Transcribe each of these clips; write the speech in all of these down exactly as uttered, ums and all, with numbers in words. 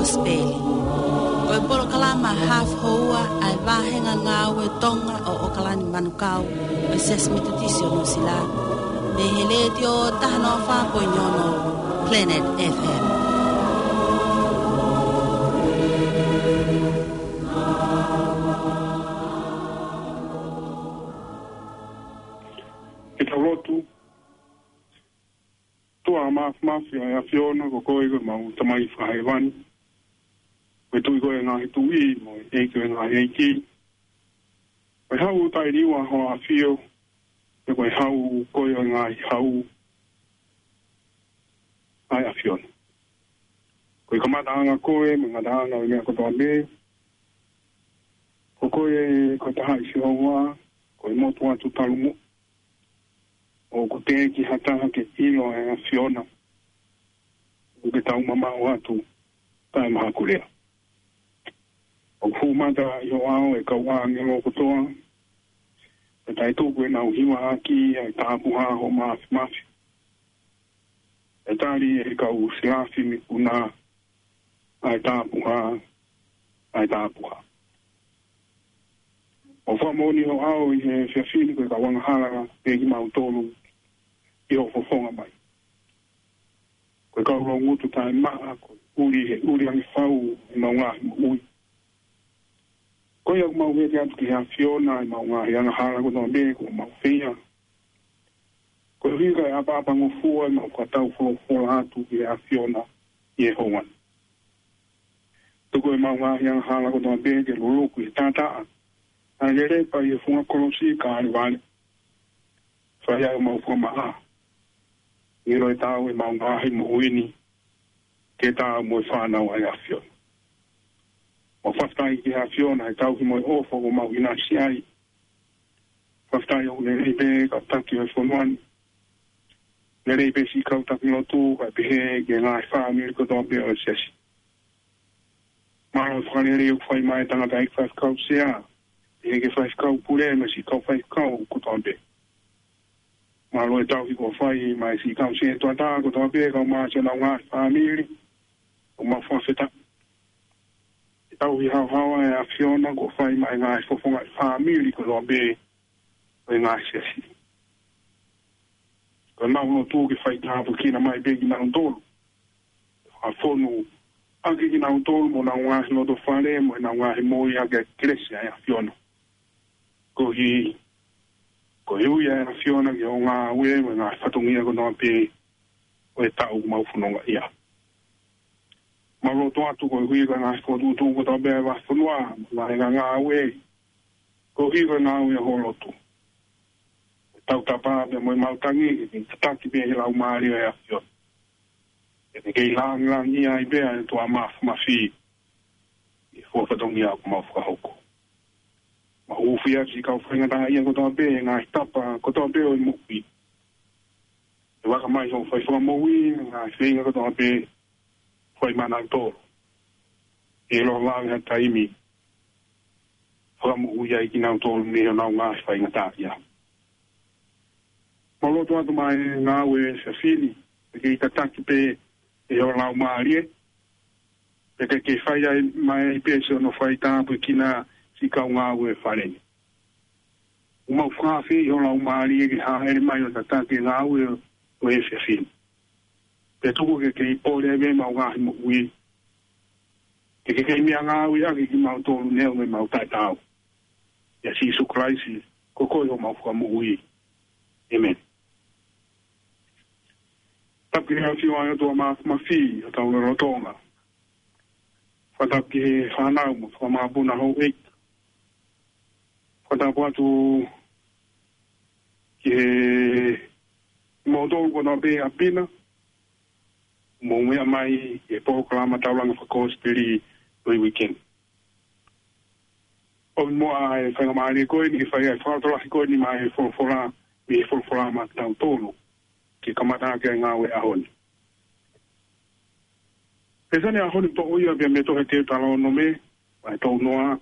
Kosipeli. Ko e polokalama hafu houa ʻa e vāhenga ngāue Tonga ʻo ʻOkalani Manukau ʻo e Siasi Metotisi ʻo Nuʻusila, mei he Letiō taha noa fā poini ono Planet F M. Ke tau lotu. ʻOtua Māfimafi ʻa e ʻAfiona, ko koe ko ʻemau Tamai fakahēvani. Ko e Tuʻi koe ʻo e ngaahi tuʻi, mo e ʻEiki ʻo e ngaahi ʻeiki. Ko e Hau taʻeliua ʻo e ʻAfio, pea ko e Hau koe ʻo e ngaahi hau ʻa e ʻAfiona. Ko e kamataʻanga koe, mo e ngataʻanga ʻo e meʻa kotoa pē. Ko koe ko e Tahaʻi Sihova, ko e motu atu talu moʻui. ʻOku teʻeki ha taha ke ʻilo ʻa e ʻAfiona. ʻOku ke tau mamaʻo atu taʻemahakulea. ʻOku fuʻu mata ʻi ho ʻao ʻa e kau ʻāngelo kotoa, pea taʻetuku ʻenau hiva ʻaki ʻa e tāpuhā ʻo ho māfimafi. ʻE tali ʻe he kau selafi mei ʻuna ʻa e tāpuhā, ʻa e tāpuhā. ʻOku fakamoʻoni ho ʻao ʻi he efiafi ni ko e kau angahala pē kimautolu ʻi hoʻo fofonga mai. Ko e kau loungutu taʻemaʻa, ko e ʻuli he ʻuli ange fau ʻemau ngaahi moʻui. Ko ia ʻoku mau vete atu ki he ʻAfiona ʻemau ngaahi angahala kotoa pē kuo mau feia. Koeʻuhi kae ʻapaʻapangofua ʻemau fakatau folofola atu ki he ʻAfiona ʻi he houa ni. Tuku ʻemau ngaahi angahala kotoa pē ke luluku ʻi he taʻataʻa ʻa e lelepa ʻi he funga kolosi Kalevale. Fai ai ʻemau fakamaʻa. ʻIlo ʻe taau ʻemau ngaahi moʻui ni ke taau mo e fānau ʻa e ʻAfiona. Mau fakafetaʻi ki he ʻAfiona ʻi he tauhi mo e ʻofa kuo mau ʻinasi ai. Fakafetaʻi ʻoku lelei pē kau taki ʻo e fonua ni. Lelei pē siʻi kau taki lotu, kae pehē ki he ngaahi fāmili kotoa pē ʻo e siasi. Mālō e fakalelei ʻoku fai mai ʻe he tangataʻeiki faifekau sea, pehē ki he faifekau pule mo e siʻi kau faifekau kotoa pē. Mālō e tauhi kuo fai mai siʻi kau sētuata kotoa pē, kau mai siʻonau ngaahi fāmili, ʻoku mau fakafetaʻi. E tauhi haohaoa ʻa e ʻAfiona kuo fai mai ngaahi fofonga ʻi he fāmili kotoa pē ʻo e ngaahi siasi. Ko ʻemau lotu ke fai tāpuekina mai pē kinautolu. Fakafonu ʻaki kinautolu mo ʻenau ngaahi loto fale mo ʻenau ngaahi moʻui ʻaki ʻa e kelesi ʻa e ʻAfiona. Koeʻuhi, ko e ui ʻa e ʻAfiona ki hoʻo ngāue mo e ngaahi fatongia kotoa pē ʻo e taʻu ʻoku mau fononga ai. Mau lotu atu koeʻuhi ko e ngaahi fokotuʻutuʻu kotoa pē ʻa e vahefonua, mo e ngaahi ngāue, koeʻuhi ko e ngāue ʻa ho lotu. Tautapa pē mo e maʻu tangi, ke tataki pē ʻe he Laumālie ʻo e ʻAfiona. Ke kei langilangiʻia ai pē ʻa e ʻOtua Māfimafi ʻi he fatongia ʻoku mau fakahoko. Mau hūfia siʻi kau faingataʻaʻia kotoa pē, ngaahi tapa kotoa pē ʻo e moʻui. ʻE vaka mai hoʻo fai fakamoʻui, ngaahi feinga kotoa pē, fai maʻanautolu. ʻE ʻiloa vave ha taimi fakamoʻui ai kinautolu mei honau ngaahi faingataʻaʻia. Mau lotu atu mai ngāue ʻa e siasi ni, ke kei tataki pē ʻe ho Laumālie, pea ke kei fai ai mai pē siʻono fai tāpuekina siʻi kau ngāue fale ni. ʻOku mau fakaafeʻi ho Laumālie ke hāʻele mai ʻo tataki e ngāue ʻo e siasi ni. Pea tuku ke kei pole ai pē ʻemau ngaahi moʻui. Ke ke kei meʻangāueʻaki kimautolu neongo ʻemau taʻetaau. ʻIa Sīsū Kalaisi, ko koe homau Fakamoʻui. ʻĒmeni. Tapu ki he ʻAfiona ʻa e ʻOtua Māfimafi ʻo hotau lotolotonga. Fakatapu ki he fānau mo e fakamāpuna houʻeiki. Fakatapu atu ki he moutolu kotoa pē ʻi ʻapi na, mou meʻa mai ki he polokalama Taulanga Fakakosipeli ʻo e uike ni. ʻOmi muʻa e faingamālie ko eni ke fai ai e fakalotolahi ko eni maʻa e folofola, mei he folofola maʻatautolu, ke kamata ʻaki e ngāue ʻaho ni. Pea ko e ʻaho ni toʻo ia pea mei he tohi Teutalōnome, vahe tolu noa,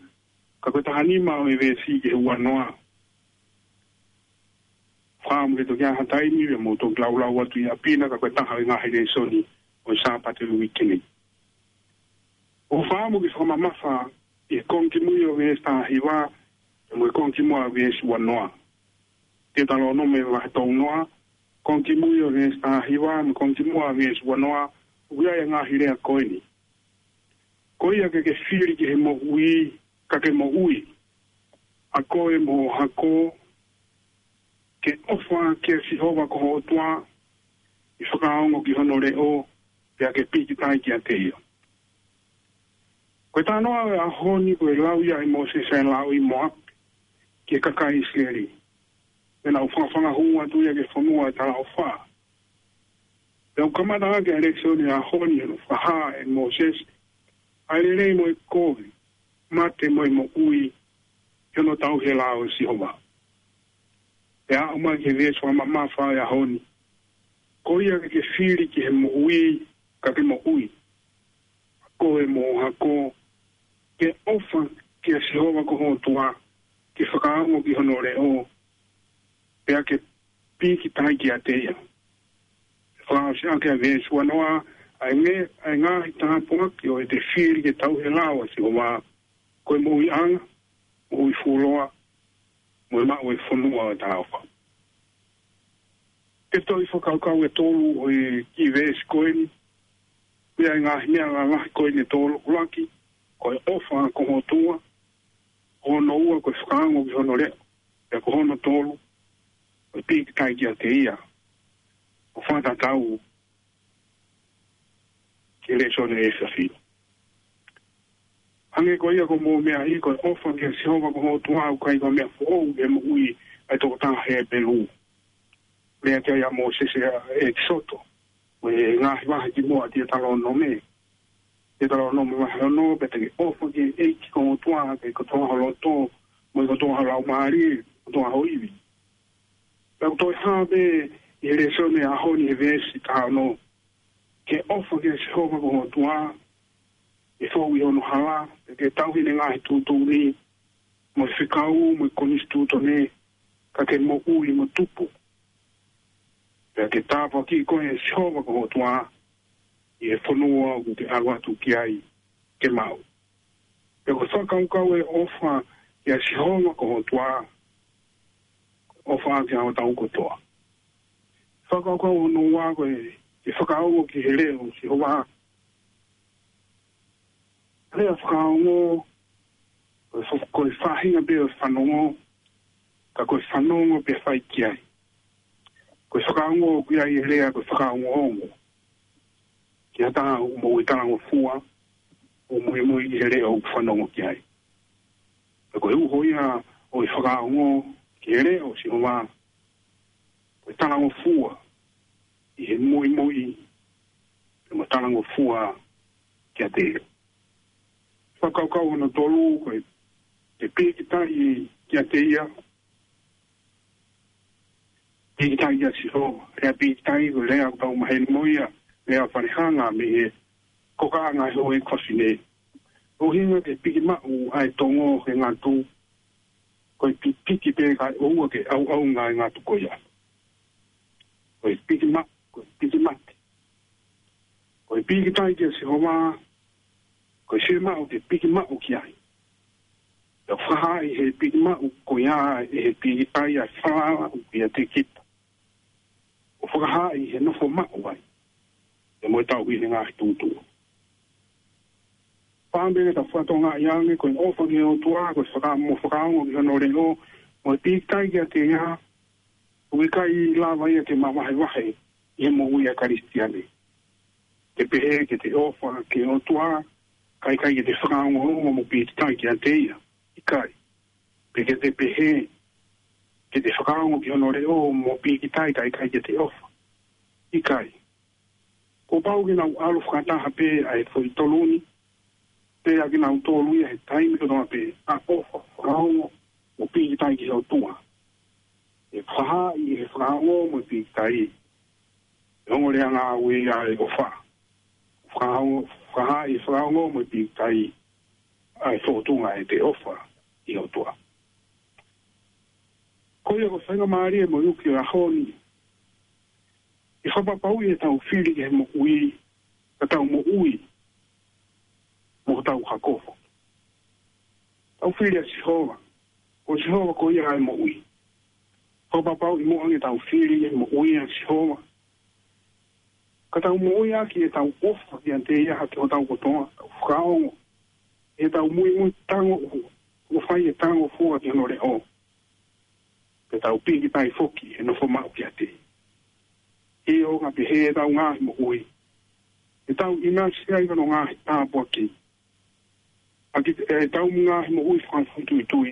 ka ko e taha nima ʻo e veesi ki he ua noa. Fakaʻamu ke toki ʻi ai ha taimi pea mou toki laulau atu ʻi ʻapi na, ka ko e taha ʻo e ngaahi lēsoni ʻo e Sāpate ʻo e uike ni. ʻOku ou fakaʻamu ke fakamamafa ʻi he konga kimui ʻo e veesi taha hiva, mo e konga kimuʻa ʻo e veesi ua noa. Teutalōnome vahe tolu noa, konga kimui ʻo e veesi taha hiva, mo e konga kimuʻa ʻo e veesi ua noa, ʻoku ʻi ai e ngaahi lea ko eni. Ko ia ke ke fili ki he moʻui, ka ke moʻui, ʻa koe mo ho hako, ke ʻofa kia Sihova ko ho ʻOtua, ke fakaongo ki hono leʻo, pea ke pīkitai kiate ia. Ko e talanoa ʻo e ʻaho ni ko e lau ia ʻe Mōsese ʻa e lau ʻi Moape ki he kakai ʻIsileli, pea nau fakafanga hū atu ia ki he fonua ʻo e talaʻofa. Pea ʻoku kamata ʻaki ʻa e lēsoni ʻo e ʻaho ni ʻi hono fakahā ʻe Mōsese ʻa e lelei mo e kovi, mate mo e moʻui, ʻi hono tauhi e lao ʻo Sihova. Pea aʻu mai ki he veesi fakamamafa ʻo e ʻaho ni. Ko ia ke ke fili ki he moʻui, ka ke moʻui, ʻa koe mo ho hako, ke ʻofa kia Sihova ko ho ʻOtua, ke fakaongo ki hono leʻo, pea ke pīkitai kiate ia. Fakaʻosi ʻaki ʻa e veesi ua noa, ʻa e ngaahi tāpuaki ʻo ʻete fili ke tauhi e lao ʻo Sihova, ko e moʻuiʻanga, moʻui fuoloa, mo e maʻu e fonua ʻo e talaʻofa. Ke toe fakakaukau e tolu ʻo e kiʻi veesi ko eni, pea ʻi he ngaahi meʻa lalahi ko eni ʻe tolu. ʻUluaki, ko e ʻofa ko ho ʻOtua, ko hono ua ko e fakaongo ki hono leʻo, pea ko hono tolu, ko e pīkitai kiate ia. ʻO fakatatau ki he lēsoni ʻo e efiafi ni. Hangē ko ia ko e meʻa ʻi he ko e ʻofa kia Sihova ko ho ʻOtua ʻoku ʻikai ko e meʻa foʻou he moʻui ʻa e tokotaha Hepelū. Lea ki ai ʻa Mōsese ʻi he ʻEkisoto, mo e ngaahi vahe kimuʻa ʻo Teutalōnome. Teutalōnome vahe ono, pea te ke ʻofa ki he ʻEiki ko ho ʻOtua, ʻaki kotoa ho loto, mo e kotoa ho laumālie, kotoa ho ivi. Pea ʻoku toe hā pē ʻi he lēsoni ʻo e ʻaho ni he veesi taha ono. Ke ʻofa kia Sihova ko ho ʻOtua, ʻi he fou ʻi hono hala, pea ke tauhi ʻene ngaahi tuʻutuʻuni, mo e fekau, mo e konisitūtone, ka ke moʻui mo tupu. Pea ke tāpuakiʻi koe ʻe Sihova ko ho ʻOtua, ʻi he fonua ʻoku te ʻalu atu ki ai ke maʻu. Pea ko e fakakaukau ʻo e ʻofa kia Sihova ko ho ʻOtua, ʻofa ʻaki ʻa hotau kotoa. Fakakaukau hono ua ko e, ke fakaongo ki he leʻo ʻo Sihova. Lea fakaongo, ko e fa-, ko e faʻahinga pē ʻo e fanongo, ka ko e fanongo pē fai ki ai. Ko e fakaongo ʻoku ʻi ai e lea ko e fakaongoongo. Ki ha taha ʻoku moʻui talangofua, ʻo muimui ki he leʻo ʻoku fanongo ki ai. Pea ko e uho ia ʻo e fakaongo ki he leʻo ʻo Sihova, ko e talangofua ʻi he muimui, pea mo talangofua kiate ia. Fakakaukau hono tolu, ko e, ke pīkitai kiate ia, pīkitai kia Sihova. Lea pīkitai, ko e lea ʻoku tau maheni mo ia, lea falehanga mei he kokaʻanga ʻo e houʻeiki fafine. ʻUhinga ke piki maʻu ʻa e tongo he ngatu, ko e pipiki pē kae ʻoua ke ʻauʻaunga e ngatu ko ia. Ko e piki maʻu, ko e piki mate. Ko e pīkitai kia Sihova, ko e fiemaʻu ke piki maʻu ki ai. Pea fakahā ʻi he piki maʻu ko ia ʻe he pīkitai ʻa e falala ʻoku ʻiate kita. ʻO fakahā ʻi he nofo maʻu ai, pea mo e tauhi ʻene ngaahi tuʻutuʻuni. Pea mo e ta fatongia ange, ko e ʻofa ki he ʻOtua, ko e faka-, mo fakaongo ki hono leʻo, mo e pīkitai kiate ia, ʻoku ʻikai lava ia ke mavahevahe ʻi he moʻui ʻa e Kalisitiane. Ke pehē ke te ʻofa ki he ʻOtua, kae ʻikai ke te fakaongoongo mo pīkitai kiate ia. ʻIkai. Pe ke te pehē ke te fakaongo ki hono leʻo mo pīkitai kae ʻikai ke te ʻofa. ʻIkai. Kuo pau ke nau ʻalu fakataha pē ʻa e foʻi tolu ni, pea ke nau tolu ia he taimi kotoa pē, ʻa e ʻofa, fakaongo, mo pīkitai ki he ʻOtua. ʻE fakahā ʻi he fakaongo mo e pīkitai e ongoleʻanga ʻo e ʻofa. Fakaongo, fakahā ʻi he fakaongo mo e pīkitai ʻa e fōtunga ʻete ʻofa ʻi he ʻOtua. Ko ia ko e faingamālie mo e uki ʻo e ʻaho ni, ke fakapapauʻi ʻetau fili ki he moʻui, ka tau moʻui mo hotau hako foki. Tau fili ʻa Sihova, ko Sihova ko ia ʻa e moʻui. Fakapapauʻi muʻa ʻoku tau fili ʻa e moʻui ʻa Sihova, ka tau moʻui ʻaki ʻetau ʻofa kiate ia ʻaki hotau kotoa, tau fakaongo ʻetau muimui tango ʻoku fai e tango fua ki hono leʻo, pea tau pīkitai foki he nofo maʻu kiate ia. ʻIo, ka pehē ʻetau ngaahi moʻui, ʻetau ʻinasi ai ki hono ngaahi tāpuaki ʻaki ʻetau ngaahi moʻui fakafoʻituitui,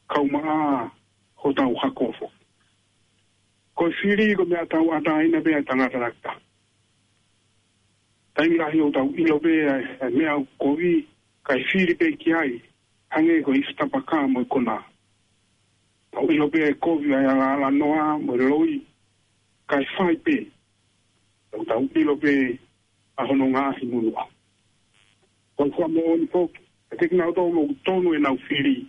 kae ʻumaʻā hotau hako foki. Ko e fili ko e meʻa tauʻatāina pē ʻa e tangata lahi taha. Taimi lahi ʻoku tau ʻilo pē ʻa e meʻa ʻoku kovi, kae fili pē ki ai, hangē ko e ifi tapaka mo e konā. Tau ʻilo pē ʻa e kovi ʻa e alālanoa mo e loi, kae fai pē. Tau, tau ʻilo pē ʻa hono ngaahi munuʻa. Ko e fakamoʻoni foki, ʻe teʻeki nau tau mo tonu ʻenau fili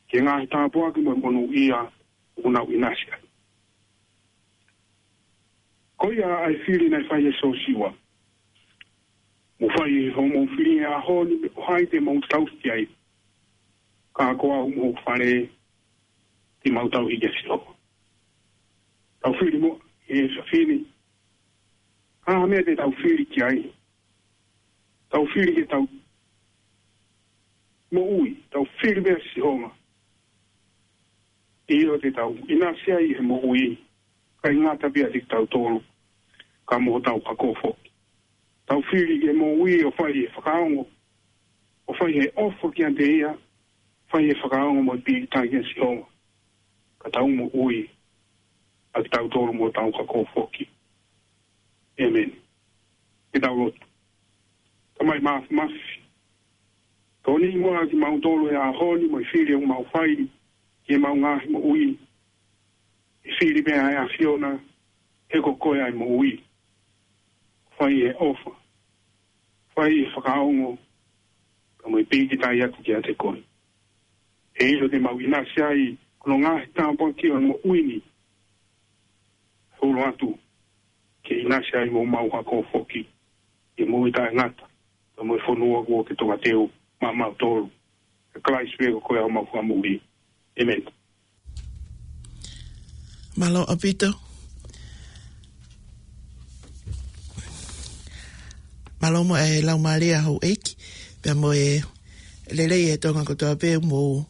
ki he ngaahi tāpuaki mo e monūʻia ʻoku nau ʻinasi ai. Ko ia ʻa e fili naʻe fai ʻe Siosiua. Mou fai hoʻomou fili he ʻaho ni, pe ko hai te mou tauhi ai. Ka ko au mo hoku fale, te mau tauhi kia Sihova. Tau fili muʻa he efiafi ni. Ko e hā e meʻa te tau fili ki ai? Tau fili ki heʻetau moʻui, tau fili pē ʻa Sihova. ʻIo, te tau ʻinasi ai he moʻui, kae ngata pē ʻiate kitautolu, ka mo hotau hako foki. Tau fili ki he moʻui ʻo fai he fakaongo, ʻo fai he ʻofa kiate ia, fai he fakaongo mo e pīkitai kia Sihova. Ka tau moʻui ʻa kitautolu mo hotau hako foki. ʻĒmeni. Ke tau lotu. Tamai Māfimafi, tokoniʻi muʻa kimautolu he ʻaho ni mo e fili ʻoku mau fai ki heʻemau ngaahi moʻui. ʻE fili pē ʻa e ʻAfiona, he ko koe ʻa e moʻui. Fai he ʻofa, fai he fakaongo, ka mo e pīkitai atu kiate koe. He ʻilo te mau ʻinasi ai ki hono ngaahi tāpuaki ʻo e moʻui ni, holo atu ke ʻinasi ai mo homau hako foki, ʻi he moʻui taʻengata, ka mo e fonua kuo ke tongateu maʻamautolu. ʻE Kalaisi pē ko koe ʻa homau Fakamoʻui. ʻĒmeni. Mālō ʻaupito. Mālō muʻa e laumālie ʻa houʻeiki, pea mo e lelei ʻa e Tonga kotoa pē ʻoku mou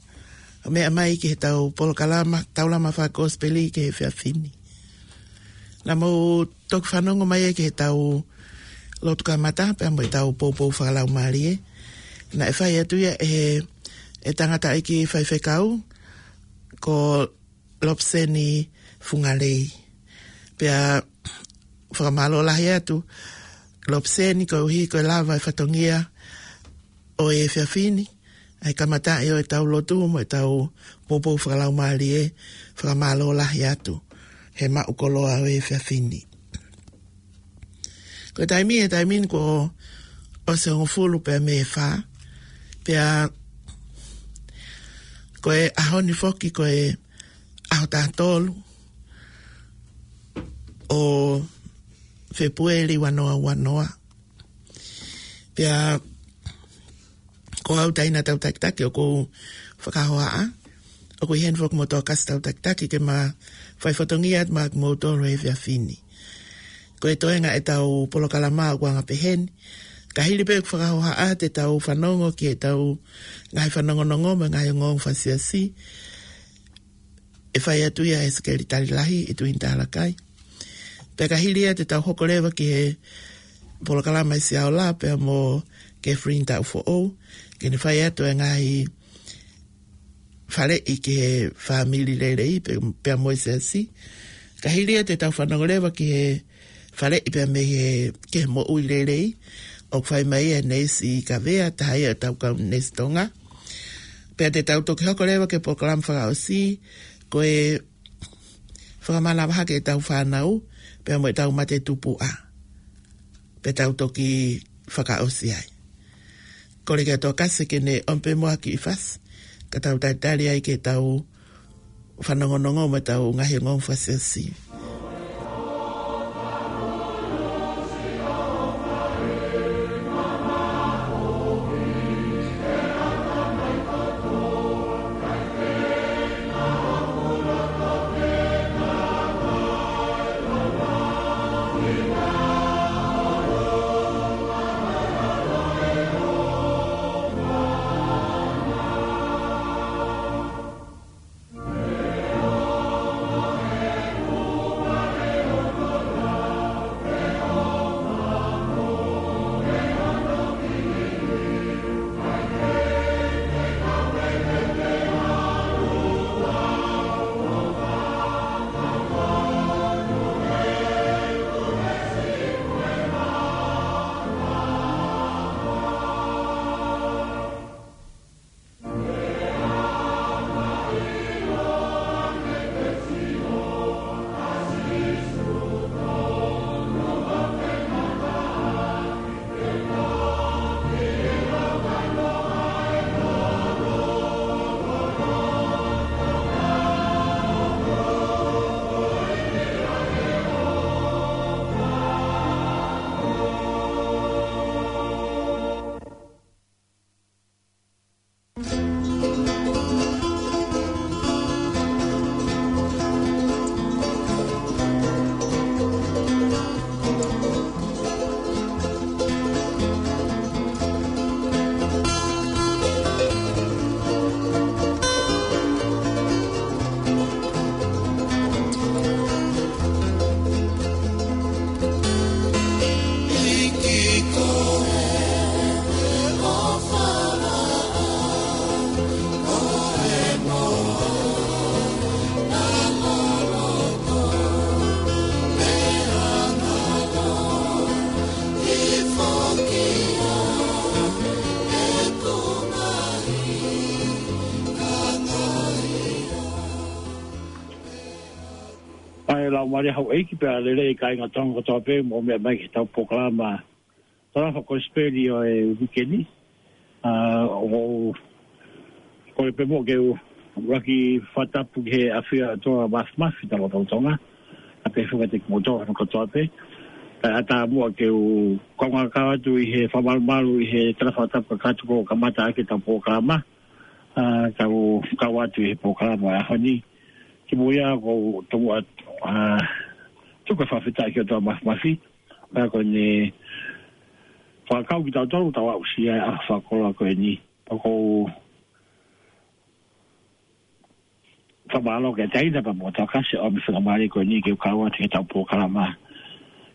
meʻa mai ki heʻetau polokalama, taulama fakakosipeli ki he efiafi ni. Naʻa mou toki fanongo mai ki heʻetau lotu kamata, pea mo ʻetau poupou fakalaumālie. Naʻe fai atu ia ʻe he, ʻe he tangataʻeiki faifekau, ko Lopseni Fungalei. Pea fakamālō lahi atu, Lopseni, koeʻuhi ko e lava e fatongia ʻo e efiafi ni, ʻa e kamataʻi ʻo ʻetau lotu mo ʻetau poupou fakalaumālie, fakamālō lahi atu he maʻu koloa ʻo e efiafi ni. Ko e taimi, e taimi ni kuo ʻosi hongofulu pē mei he fā, pea ko e ʻaho ni foki ko e ʻaho taha tolu ʻo Fēpueli ua noa ua noa. Pea ko au taina tau takitaki ʻoku ou fakahohaʻa, ʻoku ʻi heni foki mo Tokasi tau takitaki ke ma fai fatongia atu maʻa kimoutolu he efiafi ni. Ko e toenga ʻetau polokalama ʻoku anga pehē ni. Ka hili pē ʻeku fakahohaʻa te tau fanongo ki heʻetau ngaahi fanongonongo mo e ngaahi ongoongo fakasiasi. ʻE fai atu ia ʻe he Sekelitali Lahi, ʻe Tuini Talakai. Pea ka hili ia te tau hoko leva ki he polokalama ʻa e Siaola, pea mo Catherine Taʻufoʻou, ke ne fai atu e ngaahi faleʻi ki he fāmili lelei, pe-, pea mo e siasi. Ka hili ia te tau fanongo leva ki he faleʻi pea mei he, ki he moʻui lelei, ʻoku fai mai ʻe he neisi Kavea, taha ia ʻetau kau neisi Tonga. Pea te tau toki hoko leva ki he polokalama fakaʻosi, ko e fakamanavahē ki heʻetau fānau, pea mo ʻetau mate tupuʻa. Pea tau toki fakaʻosi ai. Kole kia Tokasi ke ne ʻomai pē muʻa ha kiʻi fasi, ka tau talitali ai ke tau fanongonongo mo ʻetau ngaahi ongoongo fakasiasi. Mai lau mare hau eiki pea lele i kāinga Tonga kotoa pē mo meʻa mai ki he tau polokalama Talofa Kosipeli ʻo e uike ni. ʻA, ʻo kole pē muʻa ke u ʻuluaki fakatapu ki he ʻafio ʻa e ʻOtua Mafimafi Talofa Tonga. ʻA pē fuka te ki moto hano kotoa pē. Kae ʻatā muʻa ke u kaungā kau atu ʻi he fakamalumalu ʻi he tala fakatapu kakato ko e kamata ʻaki e tau polokalama. ʻA, kau, kau atu ʻi he polokalama ʻa e ʻaho ni. Ki mui ʻa ko e tonga atu, ʻa, tuku e fakafetaʻi ki he ʻOtua Mafimafi. Pea ko ʻene fakakau kitautolu tau aʻusia ʻa e fakakoloa ko eni. Pea ko u fakamālō ki he taina pea mo Tokasi ʻo e meʻa fakamālō ko eni ke u kau atu ki he tau polokalama.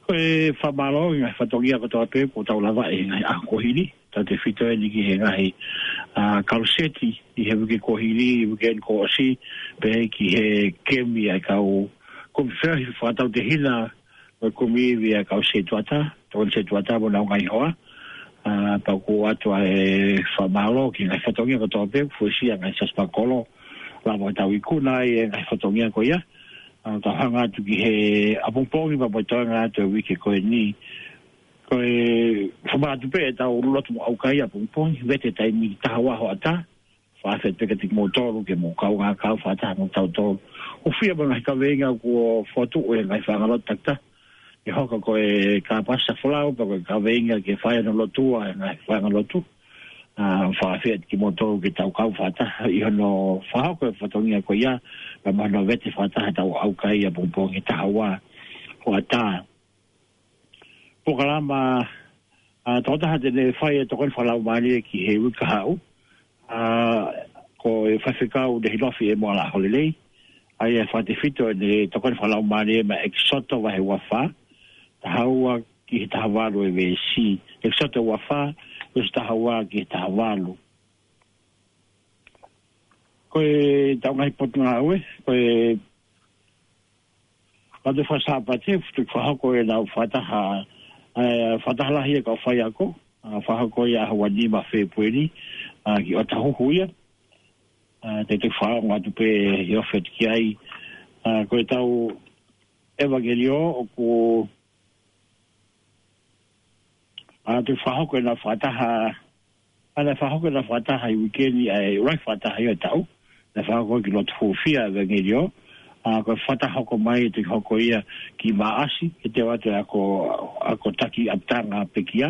Ko e fakamālō ʻi he ngaahi fatongia kotoa pē kuo tau lava ʻi he ngaahi ʻaho kuo hili. Tautefito eni ki he ngaahi, ʻa, kaluseti ʻi he uike kuo hili, uike eni kuo ʻosi, pea ki he kemi ʻa e kau kumi feohi fakatautehina, mo e kumi ivi ʻa e kau setuata, tokoni setuata mo ʻenau ngaahi hoa. ʻA, pea ʻoku ʻoatu ʻa e fakamālō ki he ngaahi fatongia kotoa pē kuo fuesia ngaahi siasi fakakolo, lava ʻo tau ikuna ai e ngaahi fatongia ko ia. ʻA, tau hanga atu ki he ʻapongipongi pea mo e toenga atu e uike ko eni. Ko e fakamālō atu pē ʻetau lotu mo ʻaukai ʻapongipongi, vete taimi taha ua hoʻatā, fakafetaʻi pē kiate kimoutolu ke mou kaungā kau fakataha mo tautolu. ʻOku fiemaʻu e ngaahi kaveinga kuo fotu ʻo e ngaahi fāngalotu takitaha. ʻE hoko ko e kāpasa folau, pea ko e kaveinga ke fai hono lotua e ngaahi fāngalotu. ʻA, fakafetaʻi kimoutolu ke tau kau fakataha ʻi hono fakahoko e fatongia ko ia, pea mo hono vete fakataha tau ʻaukai ʻapongipongi taha ua hoʻatā. Polokalama, ʻa, tokotaha te ne fai e tokoni fakalaumālie ki he uike kahaʻu. ʻA, ko e faifekau Nehilofi ʻEmoala Holelei. ʻA ia ʻe fakatefito ʻene tokoni fakalaumālie mei he ʻEkisoto vahe ua fā. Taha ua ki he taha valu e veesi. ʻEkisoto ua fā, veesi taha ua ki he taha valu. Ko e tau ngaahi potungāue, ko e Pate Fakasāpate, futu fakahoko ʻenau fakataha, ʻe, fakataha lahi ʻa e kau faiako, ʻa, fakahoko ia ʻaho ua nima Fēpueli, ʻa, ki ʻOtahuhu ia, ʻa, te te fakaongo atu pē ʻi he ofi atu ki ai, ʻa, ko e tau ʻevangeliō ʻoku ʻa, te fakahoko ʻenau fakataha, ʻa, naʻe fakahoko ʻenau fakataha ʻi he uike ni, ʻa, ʻi he ʻuluaki fakataha ʻo e taʻu, naʻe fakahoko ki loto hūfia ʻevangeliō, ʻa, ko e fakataha hoko mai ʻe toki hoko ia ki Maʻasi, ʻe teu atu e ako, ako taki ʻapitanga pekia,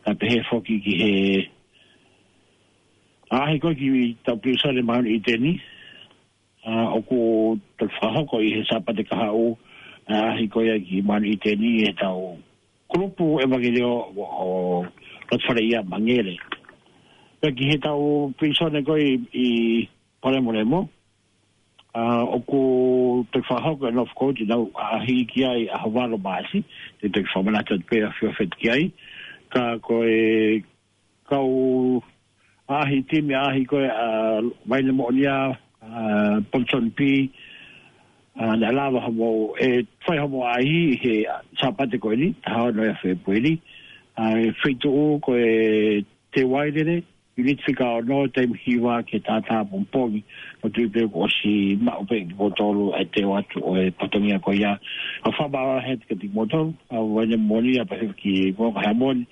kae pehē foki ki he, ʻa, ʻaʻahi ko ē ki he tau pilīsone Mount Eden, ʻa, ʻoku toki fakahoko ʻi he Sāpate kahaʻu, ʻa, ʻaʻahi ko ia ki Mount Eden ʻi he tau kulupu ʻevangeliō ʻo, ʻo Lotofaleia Mangele. Pea ki he tau pilīsone ko ē ʻi, ʻi Palemolemo, ʻa, ʻoku toki fakahoko ʻenau fokotuʻu ʻenau ʻaʻahi ki ai ʻaho valu Maʻasi, te toki fakamanatu atu pē ʻa e feohi ki ai, ka ko e kau ʻaʻahi timi ʻaʻahi ko ē ʻa Vaine Moʻonia, ʻa Ponson P, ʻa, naʻe lava hoʻomou, ʻe fai hoʻomou ʻaʻahi he Sāpate ko eni, taha ono ia Fēpueli, ʻa, ʻi he feituʻu ko e Te Wailele, ʻiuniti fika ono, taimi hiva ki he taha ʻapongipongi, ʻoku ou tui pē kuo ʻosi maʻu pē ʻe kimoutolu ʻa e teu atu ʻo e fatongia ko ia. ʻA, fakamālō lahi atu kiate kimoutolu, ʻa Vaine Moʻonia pea hifo ki Moʻunga Heamoni,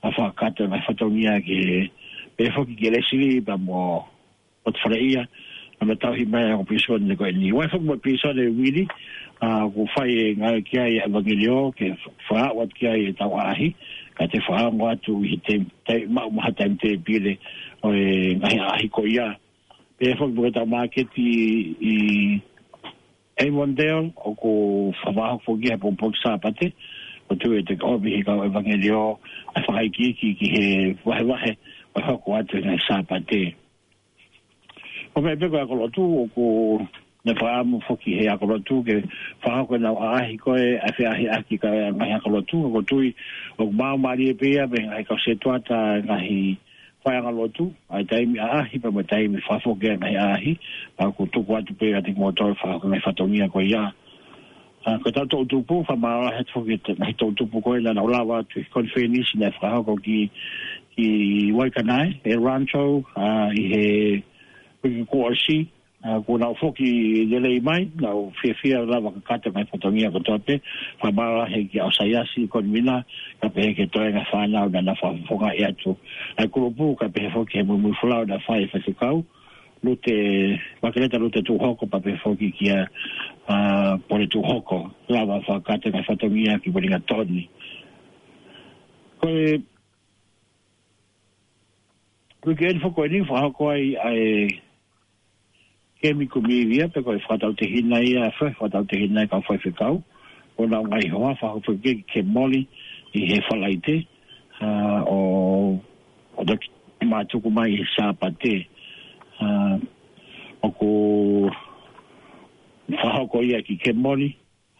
ʻa, fakakakato e ngaahi fatongia ke, pehē foki ki Lesili pea mo Lotofaleia, ʻa, mo e tauhi mai ʻa e pilīsone ko eni. ʻOku ʻi ai foki mo e pilīsone Uili, ʻa, ʻoku fai e ngāue ki ai ʻa e ʻevangeliō, ke fakaʻau atu ki ai e tau ʻaʻahi, ka te fakaongo atu ʻi he te, te, maʻu maha taimi tēpile ʻo e ngaahi ʻaʻahi ko ia. Pehē foki mo e tau māketi ʻi, ʻi Avondale, ʻoku fakahoko foki he pongipongi Sāpate, ʻoku ou tui ʻe toki ʻomi ʻe he kau ʻevangeliō ʻa e fakaikiiki ki he vahevahe ʻo e hoko atu e ngaahi Sāpate. ʻO meʻa pē ko e ako lotu, ʻoku ne fakaʻamu foki he ako lotu ke fakahoko ʻenau ʻaʻahi ko ē ʻa e feʻahiʻaki ki he ngaahi ako lotu, ʻoku ou tui ʻoku māmālie pē ia mei he ngaahi kau setuata, ngaahi faiʻanga lotu, ʻa e taimi ʻaʻahi pea mo e taimi fakafoki e ngaahi ʻaʻahi, ʻa, ʻoku tuku atu pē kiate kimoutolu ʻa e fakahoko e ngaahi fatongia ko ia. ʻA, ko e tau toʻutupu, fakamālō lahi atu foki ki he ngaahi toʻutupu ko ē naʻa nau lava atu ki he konifelenisi naʻe fakahoko ki, ki Waikanae, ʻi Rancho, ʻa, ʻi he uike kuo ʻosi, ʻA, kuo nau foki lelei mai, nau fiefia lava ke kakato e ngaahi fatongia kotoa pē, fakamālō lahi ki he ʻaosaiasi, konvina, kae pehē ki he toenga e fānau naʻa nau fakafofongaʻi atu ʻa e kulupu, kae pehē foki ki he muimui folau naʻe fai ʻe he faifekau, Lute, Makeleta Lute Tūhoko, pea pehē foki kia, ʻa, Pole Tūhoko, lava fakakakato e ngaahi fatongia ki Wellington. Ko e, ko e uike eni foki ko eni, fakahoko ai ʻa e kemi kumi ivia, pea ko e fakatautehina ia, fe-, fakatautehina e kau faifekau, ʻo nau ngaahi hoa, fakahoko foki ki Kemoli ʻi he Falaite, ʻa, ʻo, ʻo toki mātuku mai ʻi he Sāpate, ʻa, ʻoku fakahoko ia ki Kemoli,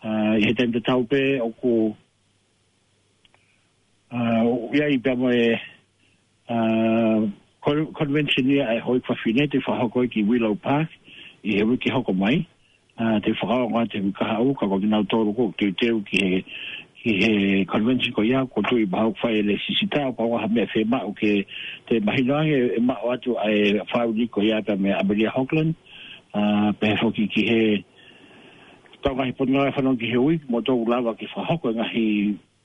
ʻa, ʻi he taimi tatau pē ʻoku ʻA, ʻoku ʻi ai pea mo e, ʻa, con-, convention ia ʻa e houʻeiki fafine te fakahoko ki Willow Park ʻi he uike hoko mai. ʻA, te fakaongo atu he uike kahaʻu, ka ko kinautolu ʻoku teuteu ki he, ki he convention ko ia, ʻoku ou tui pau ʻoku fai e lēsisita, pau ha meʻa fiemaʻu ke te mahino ange ʻe maʻu atu ʻa e fāmili ko ia pea mo ʻAmelia Hoglan, ʻa, pehē foki ki he tau ngaahi potungāue fanongo ki he ui, mo tau lava ke fakahoko e ngaahi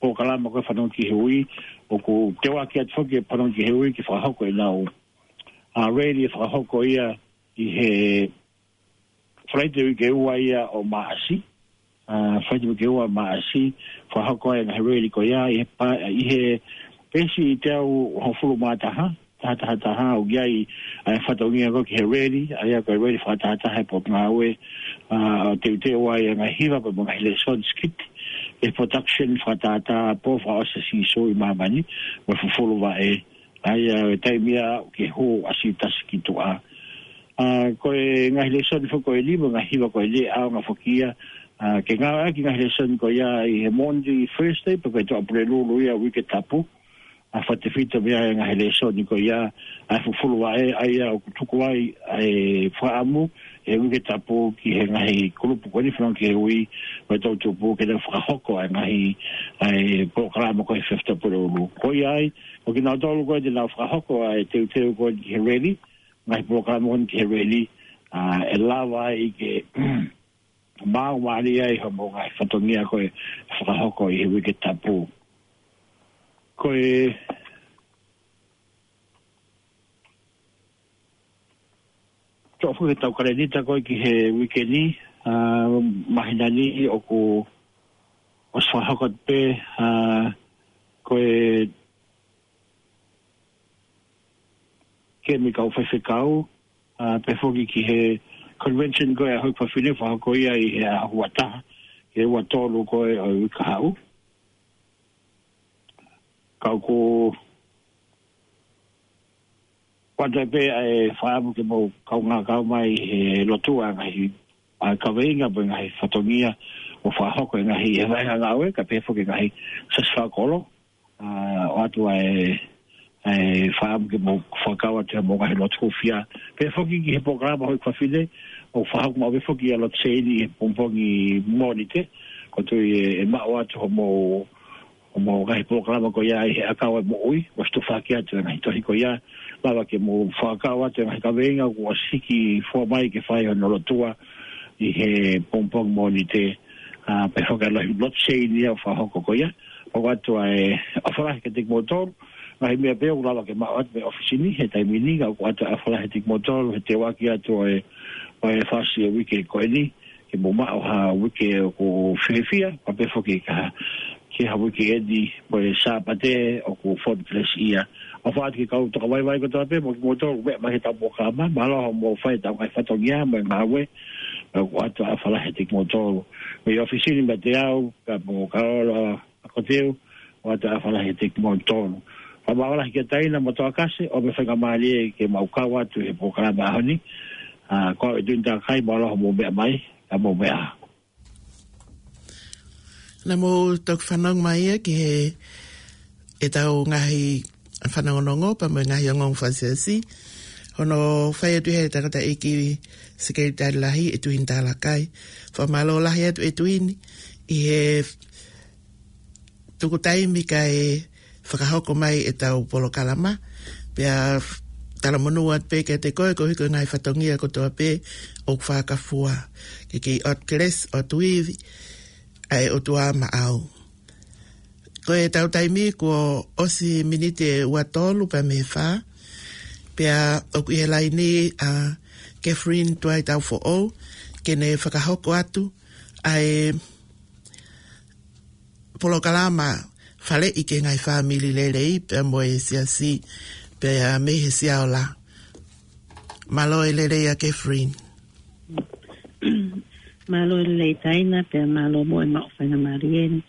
polokalama ko e fanongo ki he ui, ʻoku teuaki atu foki e fanongo ki he ui ke fakahoko ʻenau, ʻa, rally ʻe fakahoko ia ʻi he Falaite uike ua ia ʻo Maʻasi, ʻa, Falaite uike ua Maʻasi, fakahoko ai e ngaahi rally ko ia ʻi he pa-, ʻi he peesi ʻe teau hongofulu mā taha, taha taha taha, ʻoku ʻi ai ʻa e fatongia ko ē ki he rally, ʻa ia ko e rally fakatahataha e potungāue, ʻa, ʻo teuteu ai e ngaahi hiva pea mo e ngaahi lēsoni sikiti, e production fakatahataha, pō fakaʻosi ʻa Sīsū ʻi māmani, mo e fufulu vaʻe, ʻa ia e taimi ia ke hū ʻa Siutasi ki tuʻa. ʻA, ko e ngaahi lēsoni foki ko eni, mo e ngaahi hiva ko eni, ʻaonga foki ia, ʻa, ke ngāueʻaki e ngaahi lēsoni ko ia ʻi he Monday, Thursday, pe ko e Tuʻapulelulu ia uike tapu, ʻa, fakatefito mei ai e ngaahi lēsoni ko ia, ʻa e fufulu vaʻe, ʻa ia ʻoku tuku ai ʻa e fakaʻamu ʻe he uike tapu ki he ngaahi kulupu ko eni fanongo ki he ui, mo e toʻutupu ke nau fakahoko ʻa e ngaahi, ʻa e polokalama ko e Fifth Tuʻapulelulu. Ko ia ai, ʻo kinautolu ko ē te nau fakahoko ʻa e teuteu ko ē ki he rally, ngaahi polokalama ko ē ki he rally, ʻa, ʻe lava ai ke maau mālie ai hoʻomou ngaahi fatongia ko ē fakahoko ʻi he uike tapu. Ko e toʻo foki ʻetau kalēnita ko ē ki he uike ni, ʻa, māhina ni ʻoku ʻosi fakahoko pē, ʻa, ko e kemi kau faifekau, ʻa, pehē foki ki he convention ko ē ʻa e houʻeiki fafine fakahoko ia ʻi he ʻaho ua taha, ki he ua tolu ko ē ʻo e uike kahaʻu. Ka ʻoku ʻoatu pē ʻa e fakaʻamu ke mou kaungā kau mai he lotu ʻa e ngaahi, ʻa e kaveinga mo e ngaahi fatongia ʻo fakahoko e ngaahi, he vahenga ngāue, kae pehē foki e ngaahi siasi fakakolo, ʻa, ʻoatu ʻa e, ʻa e fakaʻamu ke mou fakakau atu hoʻomou ngaahi lotu hūfia. Pehē foki ki he polokalama houʻeiki fafine, ʻoku fakahoko maʻu pē foki ʻa e lotu seini he pongipongi Mōnite, ʻoku ou tui ʻe, ʻe maʻu atu hoʻomou, hoʻomou ngaahi polokalama ko ia ʻi he ʻakau ʻa e moʻui, ʻosi tufaki atu e ngaahi tohi ko ia, lava ke mou fakakau atu e ngaahi kaveinga kuo ʻosi hiki fua mai ke fai hono lotua ʻi he pongipongi Mōnite, ʻa, pehē foki ʻa e lotu seini ia ʻoku fakahoko ko ia. ʻOku ʻoatu ʻa e ʻofa lahi kiate kimoutolu, ngaahi meʻa pē ʻoku lava ke maʻu atu mei he ʻōfisi ni he taimi ni, ka ʻoku ʻoatu ʻa e ʻofa lahi kiate kimoutolu he teuaki atu ʻo e, ʻo e fasi e uike ko eni, ke mou maʻu ha uike ʻoku fiefia, pea pehē foki ki ha, ki ha uike eni mo e Sāpate ʻoku fonu kelesi ia. ʻOfa atu ki he kau tokavaivai kotoa pē, mo kimoutolu ʻoku meʻa mai he ʻetau polokalama, mālō hoʻomou fai ʻetau ngaahi fatongia mo e ngāue, ʻoku ʻoatu ʻa e ʻofa lahi kiate kimoutolu. Mei he ʻōfisi ni meiate au, pea mo Kaolo ʻa Koteu, ʻoatu ʻa e ʻofa lahi kiate kimoutolu. Fakamālō lahi kia Taina mo Toakase, ʻo mou faingamālie ke mau kau atu he polokalama ʻaho ni. ʻA, ko au ʻEtuini Takai, mālō hoʻomou meʻa mai, ka mou meʻa ā. Naʻa mou toki fanongo mai ia ki he ʻetau ngaahi fanongonongo pea mo e ngaahi ongoongo fakaesiasi. Hono fai atu he tangataʻeiki Sekelitali Lahi ʻEtuini Talakai. Fakamālō lahi atu ʻEtuini ʻi he tuku taimi kae fakahoko mai ʻetau polokalama. Pea talamonū atu pē kiate koe, koeʻuhi ko e ngaahi fatongia kotoa pē ʻoku fakafua. Ke ke ʻoatu kelesi, ʻoatu ivi ʻa e ʻOtua maʻau. Ko ʻetau taimi kuo ʻosi miniti ʻe ua tolu pea mei he fā. Pea ʻoku ʻi he laini ʻa Catherine Tuaitaufoʻou, ke ne fakahoko atu ʻa e polokalama Faleʻi ki he Ngaahi Fāmili Lelei pea mo e Siasi pea mei he Siaola. Mālō e lelei ʻa Catherine. Mālō e lelei Taina, pea mālō mo e maʻu faingamālie ni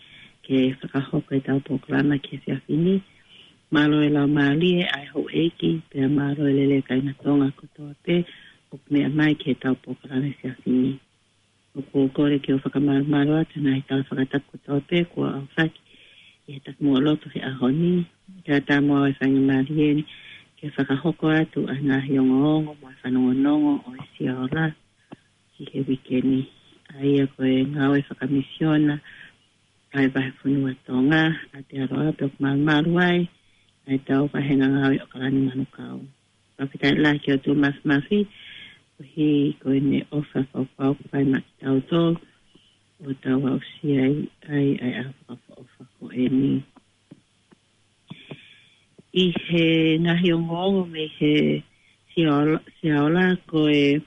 ke fakahoko ʻetau polokalama ki he efiafi ni. Mālō e laumālie ʻa e houʻeiki, pea mālō e lelei kāinga Tonga kotoa pē ʻoku meʻa mai ki heʻetau polokalama efiafi ni. ʻOku ou kole ke u fakamālō atu he ngaahi tala fakatapu kotoa pē kuo aofaki ʻi he takimuʻa lotu he ʻaho ni, kae ʻatā mo au e faingamālie ni ke fakahoko atu ʻa e ngaahi ongoongo mo e fanongonongo ʻo e Siaola ki he uike ni. ʻA ia ko e ngāue fakamisiona ʻa e Vahefonua Tonga ʻa Aotearoa, pea ʻoku malumalu ai ʻa ʻetau vahenga ngāue ʻAokalani Manukau. Fakafetaʻi lahi ki he ʻOtua Māfimafi, koeʻuhi ko ʻene ʻofa fakaʻaufau kuo fai maʻa kitautolu, ʻo tau aʻusia ai ʻa e ʻaho fakaʻofoʻofa ko eni. ʻI he ngaahi ongoongo mei he Siaola, Siaola, ko e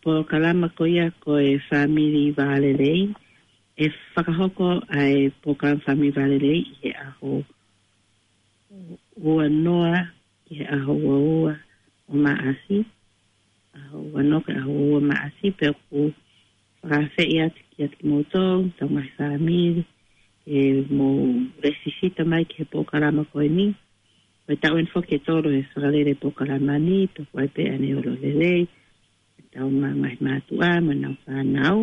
polokalama ko ia ko e Fāmili Vālelei, ʻe fakahoko ʻa e polokalama Fāmili Vālelei ʻi he ʻaho ua noa ki he ʻaho ua ua ʻo Maʻasi, ʻaho ua noa ki he ʻaho ua ua Maʻasi, pea ʻoku fakaafeʻi atu kiate kimoutolu, tau ngaahi fāmili, ke mou lēsisita mai ki he polokalama ko eni. Ko e taʻu eni foki ʻe tolu he fakalele polokalama ni, pea ʻoku ʻi ai pē ʻa e ʻaneolelei, ʻetau ngaahi mātuʻa mo ʻenau fānau.